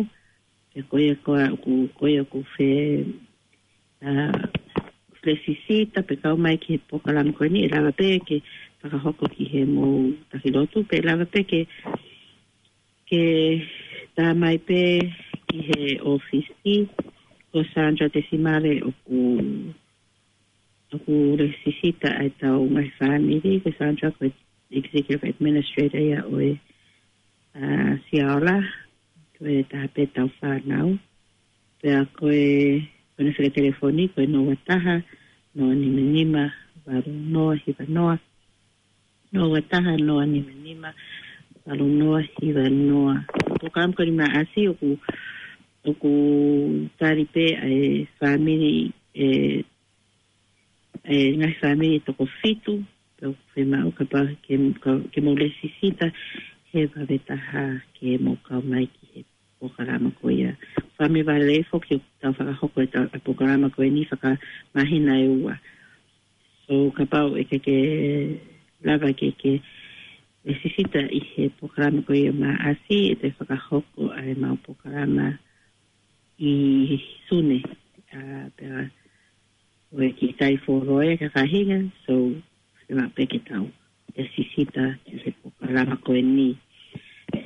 Pea ko ia ko ē ʻoku, ko ia ʻoku fie, ʻa, lēsisita pea kau mai ki he polokalama ko eni, ʻe lava pē ke fakahoko ki he mou taki lotu, pea ʻe lava pē ke, ke tā mai pē ki he ʻōfisi, ko Sandra Tesimale ʻoku, ʻoku lēsisita ʻa ʻetau ngaahi fāmili, ko Sandra ko e Executive Administrator ia ʻo e, ʻa, Siaola, ko e taha pē ʻetau fānau. Pea ko e, ko ʻene fika telefoni, ko e noa ua taha, noa nima nima, valu noa hiva noa. Noa ua taha, noa nima nima, valu noa hiva noa. Polokalama ko eni Maʻasi ʻoku, ʻoku tali pē ʻa e fāmili, ʻe, ʻe ngaahi fāmili ʻe toko fitu, pea ʻoku fiemaʻu kapau ke, ke, ke mou lēsisita he vave taha ke mou kau mai ki he polokalama ko ia. Fāmili Vālelei foki ʻoku tau fakahoko ʻetau, ʻa e polokalama ko eni fakamāhina ʻe ua. So kapau ʻe ke, ke lava ke, ke lēsisita ʻi he polokalama ko ia Maʻasi, ʻe toe fakahoko ʻa e mau polokalama ʻi Sune, ʻa, pea ʻoku ʻikai fuoloa e kakahinga, so, fiemaʻu pē ke tau lēsisita ki he polokalama ko eni.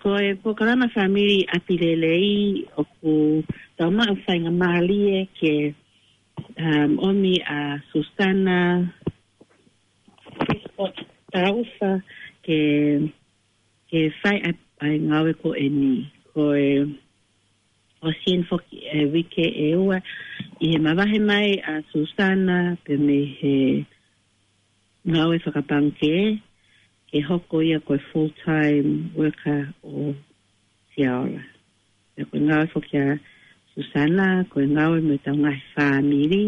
Ko e polokalama Fāmili ʻApi Lelei ʻoku tau maʻu faingamālie ke, um, ʻomi ʻa Susana Taufa ke, ke fai ʻa e, ʻa e ngāue ko eni. Ko e ʻosi eni foki e uike ʻe ua, ʻi he mavahe mai ʻa Susana pea mei he ngāue fakapangikē, ke hoko ia ko e full-time worker ʻo Siaola. Pea ko e ngāue foki ʻa Susana, ko e ngāue mo ʻetau ngaahi fāmili,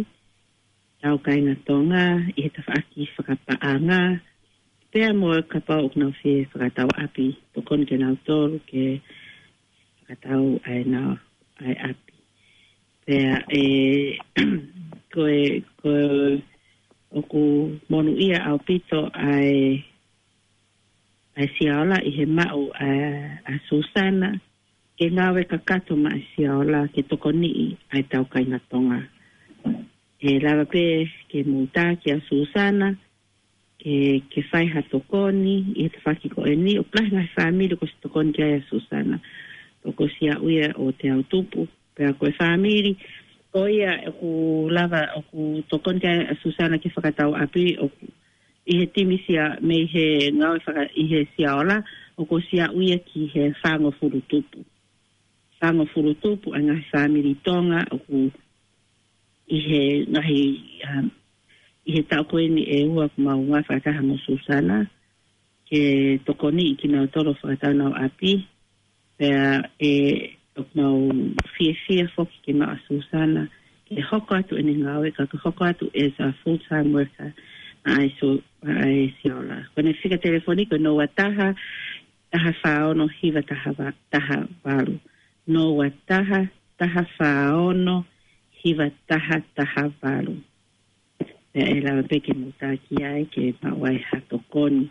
tau kāinga Tonga, ʻi he tafaʻaki fakapaʻanga, pea mo e kapau ʻoku nau fie fakatau ʻapi, tokoni kia nautolu ke fakatau ʻa ʻenau, ʻa e ʻapi. Pea ʻe, ko e, ko e, ʻoku monūʻia ʻaupito ʻa e, ʻa e Siaola ʻi he maʻu ʻa, ʻa Susana, ke ngāue kakato maʻa e Siaola ke tokoniʻi ʻa ʻetau kāinga Tonga. ʻE lava pē ke mou tā kia Susana, ke, ke fai ha tokoni, ʻi he tafaʻaki ko eni, ʻoku lahi ngaahi fāmili kuo ʻosi tokoni ki ai ʻa Susana. Pea ko Siaola ia ʻo Teautupu, pea ko e fāmili, ko ia ʻoku lava, ʻoku tokoni ki ai ʻa Susana ke fakatau ʻapi, ʻoku ʻi he timi Sia, mei he ngāue faka-, ʻi he Siaola, ʻoku ʻosi aʻu ia ki he fāngofulu tupu. Fāngofulu tupu ʻa e ngaahi fāmili Tonga ʻoku ʻi he ngaahi, um, ʻi he taʻu ko eni ʻe ua ʻoku mau ngāue fakataha mo Susana, ke tokoniʻi kinautolu ʻo fakatau honau ʻapi. Pea ʻe, ʻoku mau fiefia foki ke maʻu ʻa Susana ke hoko atu ʻene ngāue, ka ke hoko atu as a full-time worker ʻa e Su-, ʻa e Siaola. Ko ʻene fika telefoni ko e noa taha, taha fā ono, hiva taha va-, taha valu. Noa taha, taha fā ono, hiva taha taha valu. Pea ʻe lava pē ke mou taki ai ke maʻu ai ha tokoni.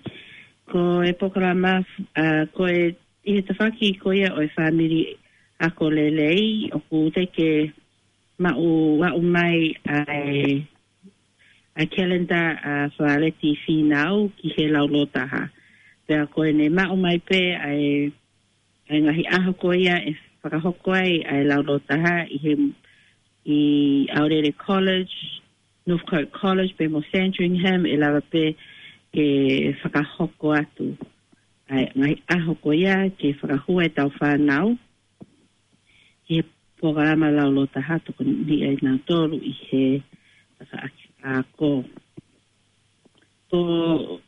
Ko e polokalama, a, ko e, ʻi he tafaʻaki ko ia ʻo e fāmili ako lelei, ʻoku teʻeki ke maʻu, aʻu mai ʻa e, ʻa e calendar ʻa Fāleti Fīnau ki he laulōtaha. Pea ko ʻene maʻu mai pē ʻa e, ʻa e ngaahi ʻaho ko ia ʻe fakahoko ai ʻa e laulōtaha ʻi he, ʻi Aorere College, Northcote College, pea mo Sandringham, ʻe lava pē ke fakahoko atu ʻa e ngaahi ʻaho ko ia ke fakahua ʻetau fānau ki he polokalama laulōtaha, tokoniʻi ai kinautolu ʻi he tafaʻaki ako. Ko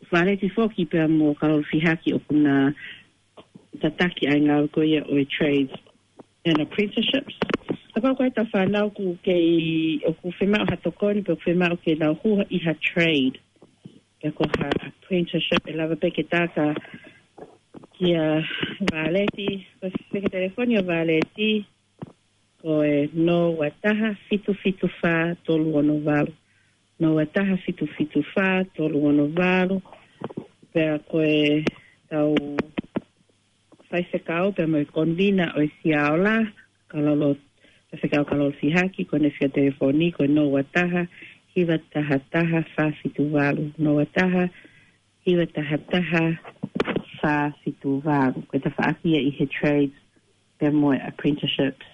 Fāleti foki pea mo Kalolo Fihaki ʻoku na tataki ʻa e ngāue ko ia ʻo e trades and apprenticeships. Kapau ko ʻetau fānau ʻoku kei, ʻoku fiemaʻu ha tokoni, pe ʻoku fiemaʻu ke nau hū ʻi ha trade, pe ko ha apprenticeship, ʻe lava pē ke taka kia Fāleti, ko e fika telefoni ʻo Fāleti, ko e noa taha fitu fitu fā tolu ono valu. Noa taha fitu fitu fā tolu ono valu. Pea ko ʻetau faifekau, pea mo e konvina ʻo e Siaola, Kalolo, faifekau Kalolo Fihaki, ko ʻene fika telefoni, ko e noa taha, hiva taha taha, fā fitu valu. Noa taha, hiva taha taha, fā fitu valu. Ko e tafaʻaki ia ʻi he trades, pea mo e apprenticeships.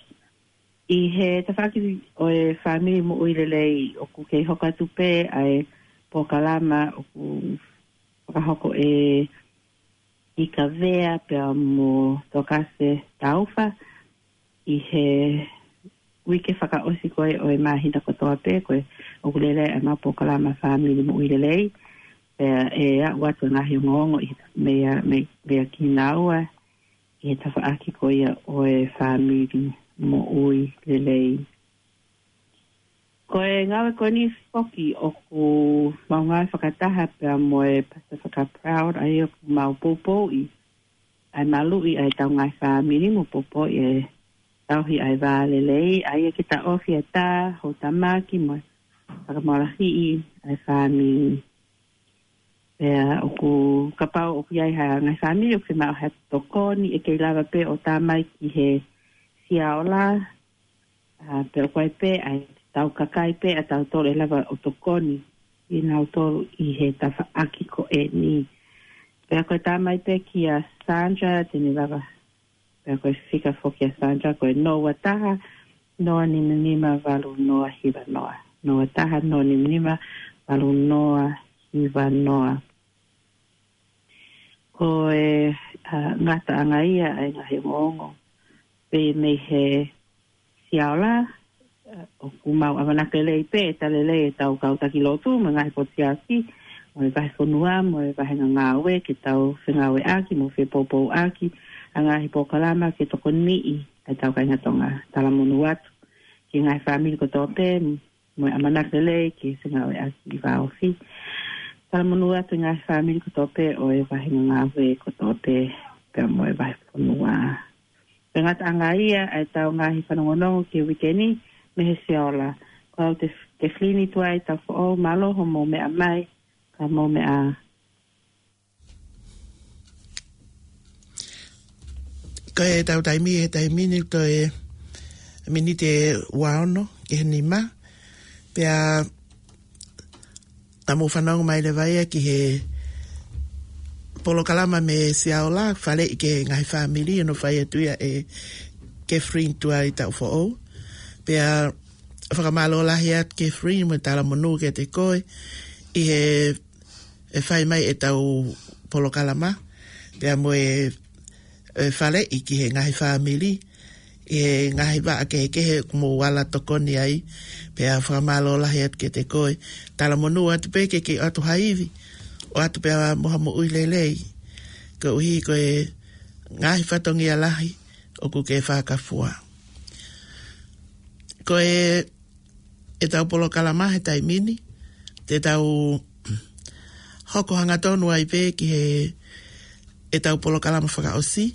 ʻI he tafaʻaki ʻo e fāmili moʻui lelei ʻoku kei hoko atu pē ʻa e polokalama ʻoku fakahoko ʻe Ikavea pea mo Tokase Taufa ʻi he uike fakaʻosi ko ē ʻo e māhina kotoa pē ko ē ʻoku lele ai ʻemau polokalama fāmili moʻui lelei. Pea ʻe aʻu atu e ngaahi ongoongo ʻi he meʻa, meʻa, meʻa kinaua ʻi he tafaʻaki ko ia ʻo e fāmili moʻui lelei. Ko e ngāue ko eni foki ʻoku mau ngāue fakataha pea mo e Pacifica Proud, ʻa ia ʻoku mau poupouʻi ʻa e maluʻi ʻa ʻetau ngaahi fāmili mo poupouʻi e tauhi ʻa e vā lelei, ʻa ia ke taʻofi e tā, houtamaki mo e fakamālohiʻi ʻa e fāmili. Pea ʻoku kapau ʻoku ʻi ai ha ngaahi fāmili ʻoku fiemaʻu ha tokoni, ʻe kei lava pē ʻo tā mai ki he Siaola, a, pea ʻoku ʻi ai pē ʻa ʻetau kakai pē ʻatautolu ʻe lava ʻo tokoni kinautolu ʻi he tafaʻaki ko eni. Pea ko e tā mai pē kia Sandra, te ne lava, pea ko e fika foki ʻa Sandra, ko e noa taha, noa nima nima valu noa hiva noa. Noa taha, noa nima nima valu noa hiva noa. Ko e, a, ngataʻanga ia ʻa e ngaahi ongoongo pē mei he Siaola, a, ʻoku mau ʻamanaki lelei pē ʻe talitali lelei ʻetau kau taki lotu mo e ngaahi potu siasi, mo e vahefonua, mo e vāhenga ngāue, ke tau fengāueʻaki mo fepoupouʻaki ʻa e ngaahi polokalama ke tokoniʻi ʻa ʻetau kāinga Tonga. Talamonū atu ki he ngaahi fāmili kotoa pē, mo e ʻamanaki lelei ke fengāueʻaki ʻi he vā ofi. Talamonū atu ki he ngaahi fāmili kotoa pē ʻo e vāhenga ngāue kotoa pē, pea mo e vahefonua. Ko e ngataʻanga ia ʻa ʻetau ngaahi fanongonongo ki he uike ni mei he Siaola. Ko au Tef-, Tefilini Tuʻi Taufoʻou, mālō hoʻomou meʻa mai, ka mou meʻa ā. Ko ʻetau taimi he taimi ni toe miniti ʻe ua ono ki he nima. Pea ka mou fanongo mai leva ia ki he polokalama mei Siaola, faleʻi ki he ngaahi fāmili, ʻo fai atu ia ʻe Catherine Tuʻi Taufoʻou. Pea fakamālō lahi atu Catherine mo e talamonū kiate koe ʻi he ʻe fai mai ʻetau polokalama, pea mo e, e faleʻi ki he ngaahi fāmili, ʻi he ngaahi vaʻa kehekehe ʻoku mou ala tokoni ai, pea fakamālō lahi atu kiate koe. Talamonū atu pē ke ke ʻoatu ha ivi, ʻoatu pē mo ha moʻui lelei. Koeʻuhi ko e ngaahi fatongia lahi ʻoku ke fakafua. Ko e, ʻetau polokalama he taimi ni, te tau hoko hangatonu ai pē ki he, ʻetau polokalama fakaʻosi,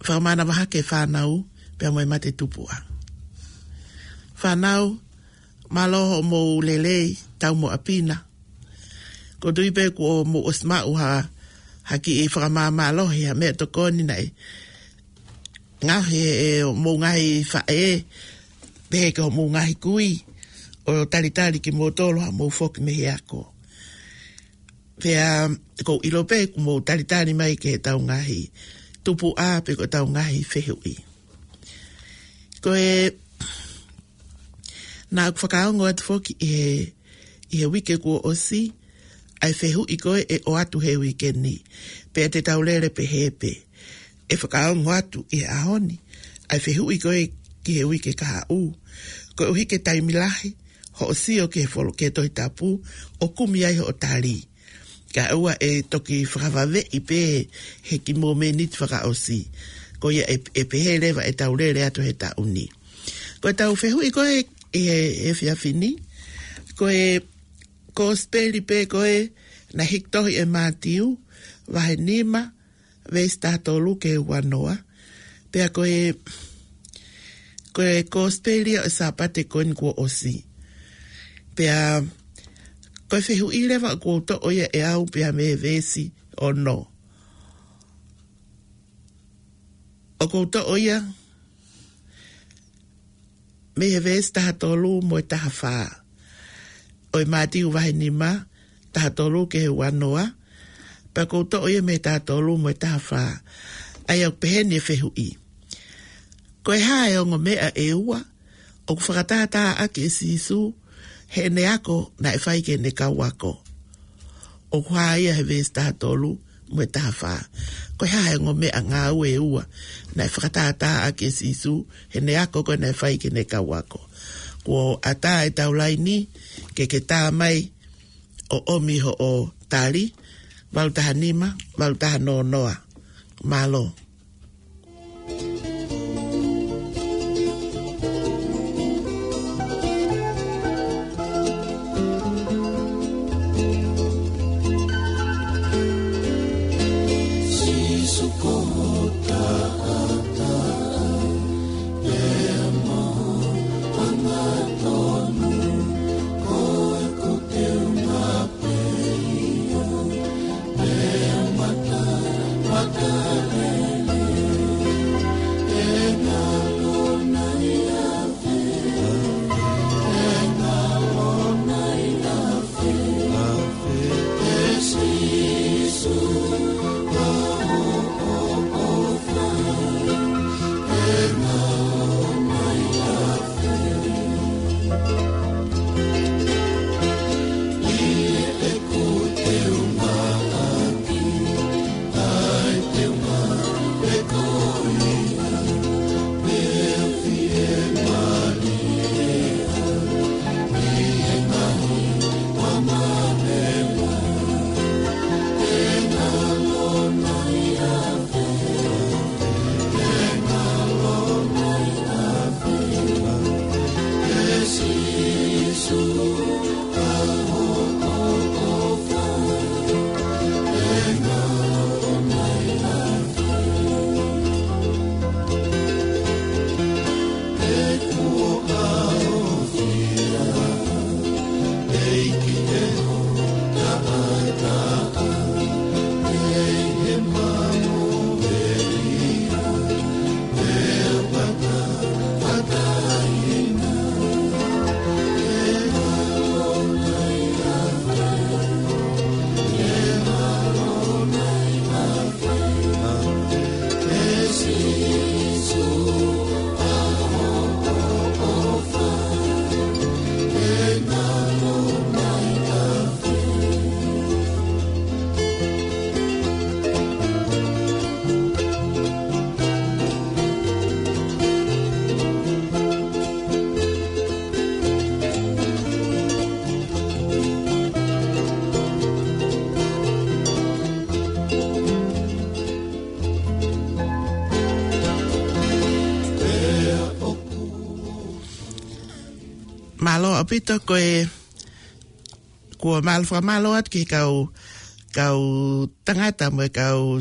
fakamānava hake fānau, pea mo e mate tupuʻa. Fānau, mālō hoʻomou lelei, tau mo ʻapi na. ʻOku ou tui pē kuo mou ʻosi maʻu ha, ha kiʻi fakamāmālohi, ha meʻatokoni naʻe ngaohi ʻe hoʻomou ngaahi faʻē, pehē ki hoʻomou ngaahi kui, ʻo talitali kimoutolu haʻamou foki mei he ako. Pea ʻoku ou ʻilo pē kuo mou talitali mai ki heʻetau ngaahi tupuʻa pe ko ʻetau ngaahi fehuʻi. Ko e, naʻa ku fakaongo atu foki ʻi he, ʻi he uike kuo ʻosi, ʻa e fehuʻi ko ē ʻe ʻoatu he uike ni. Pea te tau lele pehē pē. ʻE fakaongo atu ʻi he ʻaho ni, ʻa e fehuʻi ko ē ki he uike kahaʻu. Koeʻuhi ke taimi lahi, hoʻo sio ki he folo-, ki he Tohi Tapu, ʻo kumi ai hoʻo tali. Kae ʻoua ʻe toki fakavaveʻi pē he kiʻi mōmeniti fakaʻosi. Ko ia ʻe, ʻe pehē leva ʻetau lele atu he taʻu ni. Ko ʻetau fehuʻi ko ē ʻi he, he efiafi ni, ko e kosipeli pē ko ē naʻe hiki tohi ʻe Mātiu, vahe nima, veesi taha tolu ki he ua noa. Pea ko e, ko e kosipeli ʻo e Sāpate ko eni kuo ʻosi. Pea ko e fehuʻi leva ʻoku ou toʻo ia ʻe au pea mei he veesi ono. ʻOku ou toʻo ia mei he veesi taha tolu mo e taha fā. ʻO e Mātiu vahe nima, taha tolu ki he ua noa, pea ʻoku ou toʻo ia mei he taha tolu mo e taha fā. ʻA ia ʻoku pehē ni e fehuʻi. Ko e hā e ongo meʻa ʻe ua ʻoku fakatātā ʻaki ʻe Sīsū heʻene ako naʻe fai ki heʻene kau ako? ʻOku hā ia he veesi taha tolu mo e taha fā. Ko e hā e ongo meʻangāue ʻe ua naʻe fakatātā ʻaki ʻe Sīsū heʻene ako ko ē naʻe fai ki heʻene kau ako? Kuo ʻatā ʻetau laini ke ke tā mai ʻo ʻomi hoʻo tali, valu taha nima, valu taha noa noa. Mālō. Mālō ʻaupito ko e, kuo mālō fakamālō atu ki he kau, kau tangata mo e kau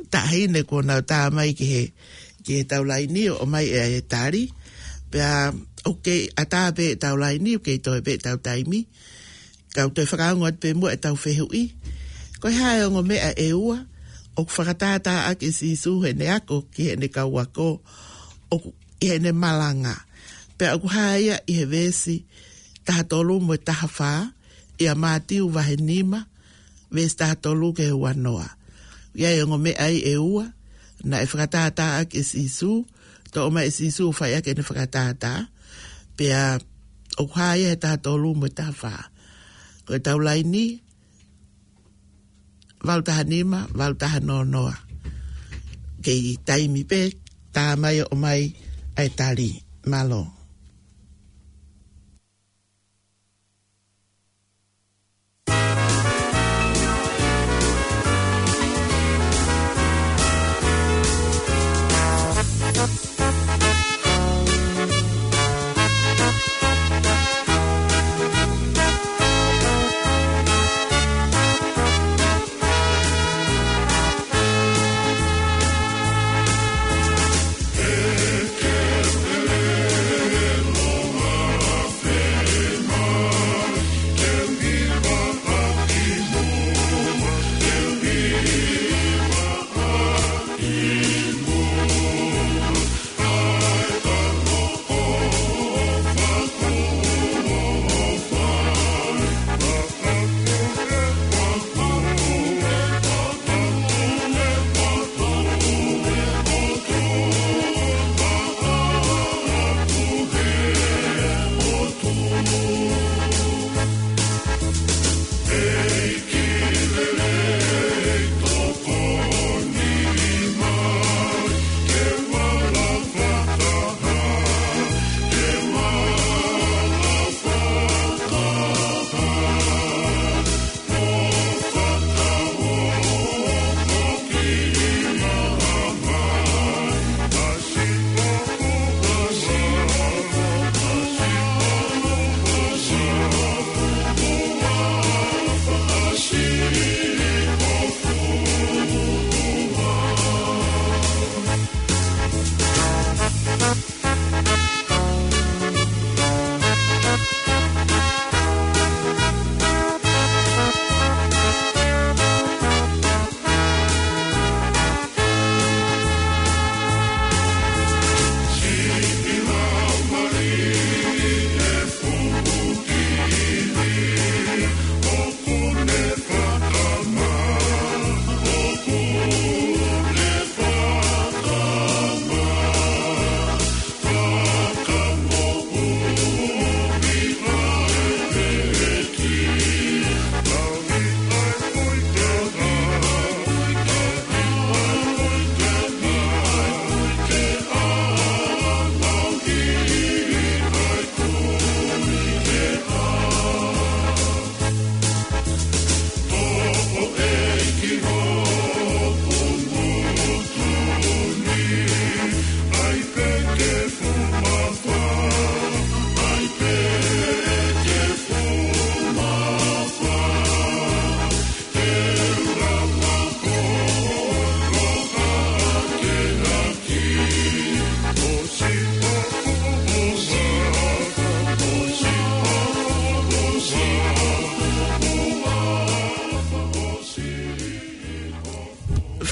taʻahine kuo nau tā mai ki he, ki he tau laini ʻo ʻomai e tali. Pea ʻoku kei ʻatā pē ʻetau laini, ʻoku kei toe pē ʻetau taimi. Kau toe fakaongo atu pē muʻa ʻetau fehuʻi. Ko e hā e ongo meʻa ʻe ua ʻoku fakatātāʻaki ʻe Sīsū heʻene ako ki heʻene kau ako, ʻoku ʻi heʻene malanga. Pea ʻoku hā ia ʻi he veesi taha tolu mo e taha fā, ʻia Mātiu vahe nima, veesi taha tolu ki he ua noa. ʻI ai e ongo meʻa ai ʻe ua naʻe fakatātāʻaki ʻe Sīsū, toʻo mai ʻe Sīsū ʻo fai ʻaki ʻene fakatātā. Pea ʻoku hā ia he taha tolu mo e taha fā. Ko ʻetau laini, valu taha nima, valu taha noa noa. Kei taimi pē, tā mai ʻo ʻomai ʻa e tali. Mālō.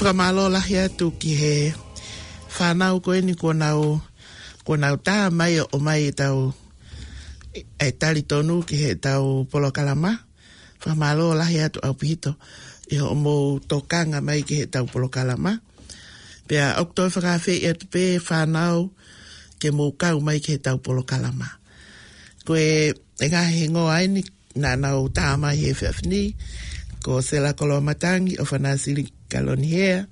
Fakamālō lahi atu ki he fānau ko eni kuo nau, kuo nau tā mai ʻo ʻomai ʻetau, e tali tonu ki heʻetau polokalama. Fakamālō lahi atu ʻaupito ʻi hoʻomou tokanga mai ki heʻetau polokalama. Pea ʻoku toe fakaafeʻi atu pē fānau ke mou kau mai ki heʻetau polokalama. Ko e, e ngaahi hingoa eni naʻa nau tā mai he efiafi ni, ko Sela Koloamatangi, ʻOfana Sili Kalonihea,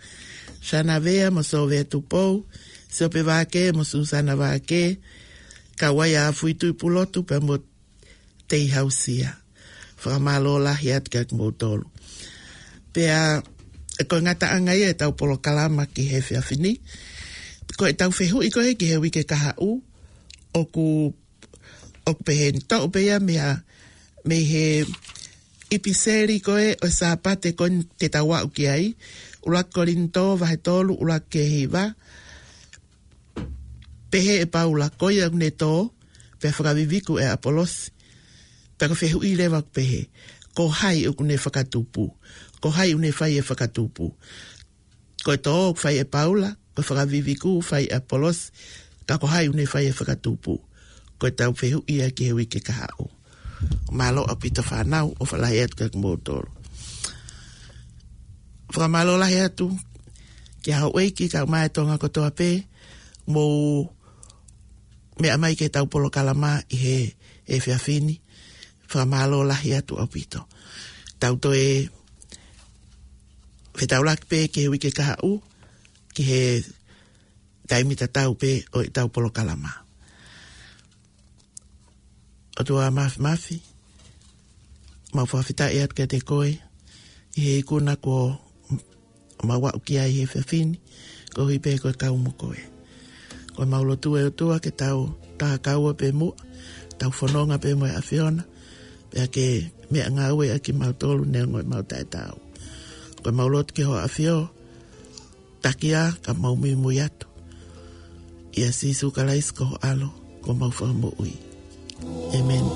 Sana Vea mo Sovea Tupou, Siope Vake mo Susana Vake, Kauaia Fuitui Pulotu pea mo Tei Hausia. Fakamālō lahi atu kiate kimoutolu. Pea, e ko e ngataʻanga ia ʻetau polokalama ki he efiafi ni. Ko ʻetau fehuʻi ko ē ki he uike kahaʻu, ʻoku, ʻoku pehē ni, toʻo pē ia mei ha, mei he ʻipiseli ko ē ʻo e Sāpate ko eni te tau aʻu ki ai, ʻUluaki Kolinitō vahe tolu, ʻuluaki ki he hiva. Pehē ʻe Paula, ko ia ʻoku ne tō, pea fakaviviku ʻe ʻApolosi. Pea ko e fehuʻi leva ʻoku pehē, ko hai ʻoku ne fakatupu? Ko hai ʻoku ne fai e fakatupu? Ko e tō ʻoku fai ʻe Paula, ko e fakaviviku ʻoku fai ʻe ʻApolosi, ka ko hai ʻoku ne fai e fakatupu? Ko ʻetau fehuʻi ia ki he uike kahaʻu. Mālō ʻaupito fānau, ʻofa lahi atu kiate kimoutolu. Fakamālō lahi atu ki he houʻeiki kae ʻumaʻā e Tonga kotoa pē, mou meʻa mai ki heʻetau polokalama ʻi he, he efiafi ni. Fakamālō lahi atu ʻaupito. Tau toe fetaulaki pē ki he uike kahaʻu, ki he taimi tatau pē ʻo ʻetau polokalama. ʻOtua Māfimafi, mau fakafetaʻi atu kiate koe, ʻi he ikuna kuo mau aʻu ki ai he efiafi ni, koeʻuhi pē ko e kau mo koe. Ko ʻemau lotu ʻe ʻOtua ke tau tā kaua pē muʻa, tau fononga pē mo e ʻAfiona, pea ke meʻangāueʻaki kimautolu neongo ʻemau taʻetaau. Ko ʻemau lotu ki ho ʻAfio, taki ā ka mau muimui atu. ʻIa Sīsū Kalaisi ko ho ʻAlo, ko homau Fakamoʻui. ʻĒmeni.